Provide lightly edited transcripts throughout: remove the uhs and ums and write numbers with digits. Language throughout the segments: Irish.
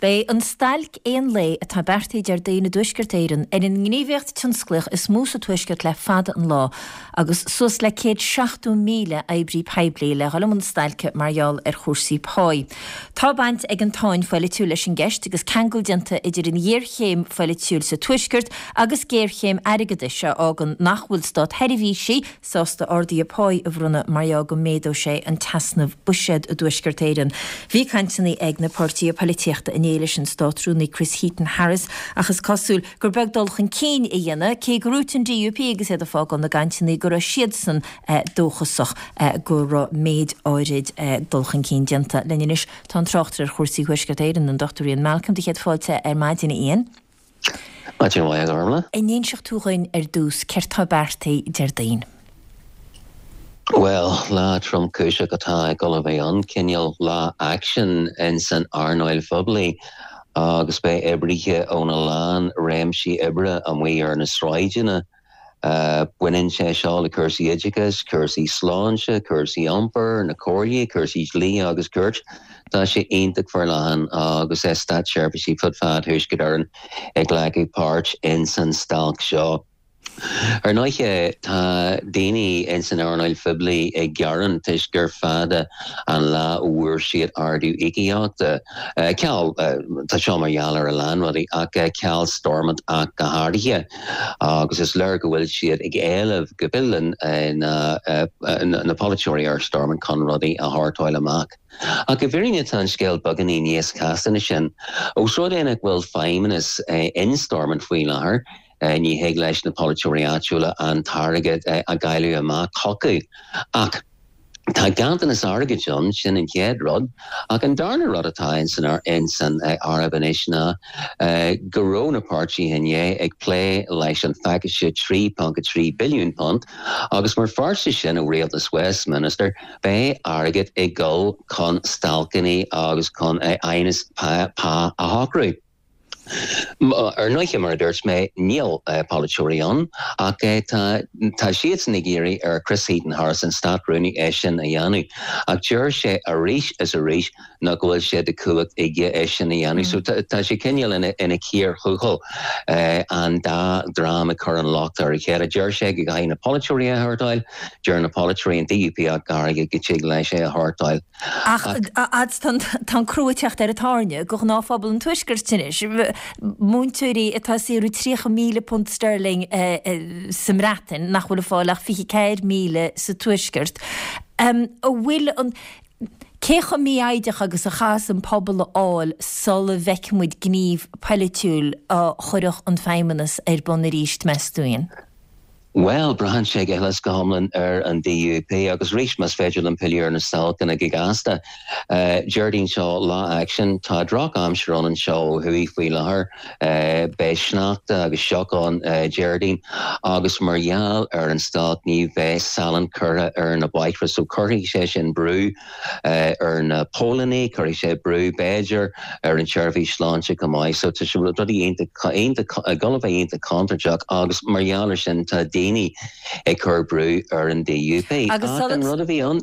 Beidh an stailc aon lae atá beartaithe Déardaoin i dTuaisceart Éireann ar an ngníomhaíocht tionsclaíoch is mó sa Tuaisceart le fada an lá agus suas le 170,000 oibrí poiblí le dhul i mbun stailce mar gheall ar chúrsaí páí. Tá baint ag an tsáinn pholaitiúil leis an gceist agus ceangal déanta idir an ghéarchéim pholaitiúil sa Tuaisceart agus géarchéim airgeadais a fhágann nach bhfuil státsheirbhísigh sásta arduithe páí a bhronnadh mar gheall go méadódh sé an t-easnamh buiséad i dTuaisceart Éireann. Bhí cainteanna ag na páirtithe poilitíochta inné leis an Státrúnaí Chris Heaton-Harris ach is cosúil gur beag dul chun cinn a dhéanadh, cé gur dhúirt an DUP agus iad ag fágáil na gcainteanna go raibh siadsan dóchasach go raibh méid áirid dul chun cinn déanta. Linn anois tá an tráchtaire ar chúrsaí Thuaisceart Éireann, an Dr Ian Malcolm. Do chéad fáilte ar maidin, a Iain. Maidin mhaith, a Ghormfhlaith. An inseoidh tú dhuinn ar dtús céard tá beartaithe Déardaoin? Bhuel, lá tromchúiseach atá ag dul a bheith ann, cineál lá aicsin ins an earnáil phoiblí agus beidh oibrithe óna lán réimsí oibre amuigh ar na sráideanna. Baineann sé seo le cúrsaí oideachais, cúrsaí sláinte, cúrsaí iompair, na comhairlí, cúrsaí dlí agus cirt. Tá sé iontach forleathan agus státseirbhísigh fud fad Thuaisceart Éireann ag glacadh páirt ins an stailc seo. Ar ndóighe, tá daoine ins an earnáil phoiblí ag gearán toisc gur fada an lá ó bhfuair siad ardú íocaíochta. Ceal, tá seo mar gheall ar a lán rudaí ach ceal Stormont ach go háirithe. Agus is léir go bhfuil siad ag éileamh go bhfilleann na polaiteoirí ar Stormont chun rudaí a shórtáil amach. Ach i bhfírinne tá an scéal beagáinín níos casta ná sin. Ós rud é nach bhfuil feidhmeannas in Stormont faoi láthair, ní thig leis na polaiteoirí áitiúla an t-airgead a dháileadh amach chucu. Ach. Tá ganntanas airgid ann, sin an chéad rud, ach an darna rud atá ins an áireamh anois ná go raibh na páirtithe inné ag plé leis an phacáiste £3.3 billiún agus mar pháirt de sin ó Rialtas Westminster beidh airgead ag dul chun stailceanna agus chun aighneas pá a shocrú. Ar ndóighe, mar a dúirt mé, níl polaiteoirí ann, ach tá tá siadsan ag iarraidh ar Chris Heaton-Harris, an Stát-Rúnaí, é sin a dhéanamh. Ach deir sé arís is arís nach bhfuil sé de chumhacht aige é sin a dhéanamh. So tá sé cineál ina chíor thuathail, an dá dhream ag cur an locht ar a chéile. Deir sé go gcaithfidh na polaiteoirí é a shórtáil, deir na polaiteoirí, an DUP ach go háirithe, go dtig leis é a shórtáil. Ach tá an crú ag teacht ar an tairne do ghnáthphobal an Tuaiscirt anois. Múinteoirí atá ag saothrú £30,000 sterling sa mBreatain nach bhfuil ag fáil ach 24,000 sa Tuaisceart. An bhfuil an, cé chomh mífhoighdeach agus a chaithfeas an pobal a fháil sula bhfeicfidh muid gníomh polaitiúil a chuirfeadh an Feidhmeannas ar bun arís, meas tú, Ian? Bhuel, braitheann sé go huile is go hiomlán ar an DUP agus arís, más féidir liom pilleadh ar na stailceanna go gasta. Déardaoin seo, lá aicsin. Tá droch-aimsir ann anseo ó thuaidh faoi láthair. Beidh sneachta agus sioc ann Déardaoin agus mar gheall ar an stailc ní bheidh salann curtha ar na bóithre so cuirfidh sé sin brú ar na póilíní, cuirfidh sé brú, b'fhéidir, ar an tseirbhís sláinte chomh maith. So tá sé rudaí iontach, iontach, ag dul a bheith iontach contúirteach agus mar gheall ar sin tá daoine ag cur brú ar an DUP. Agus Ach an rud a bhí ann.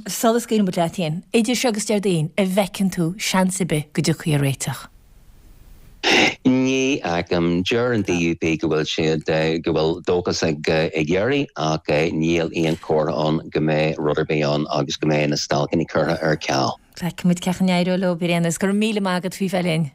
Sula scaoileann muid leat, Ian, idir seo agus Déardaoin, an bhfeiceann tú seans ar bith go dtiocfaí ar réiteach? Ní fheicim. Deir an DUP go bhfuil siad, go bhfuil dóchas ag iarraidh ach níl aon chomhartha ann go mbeidh rud ar bith ann agus go mbeidh na stailceanna curtha ar ceal. Feicfidh muid cén chaoi a n-éireoidh leo, ar aon nós. Go raibh míle maith agat faoi bheith linn.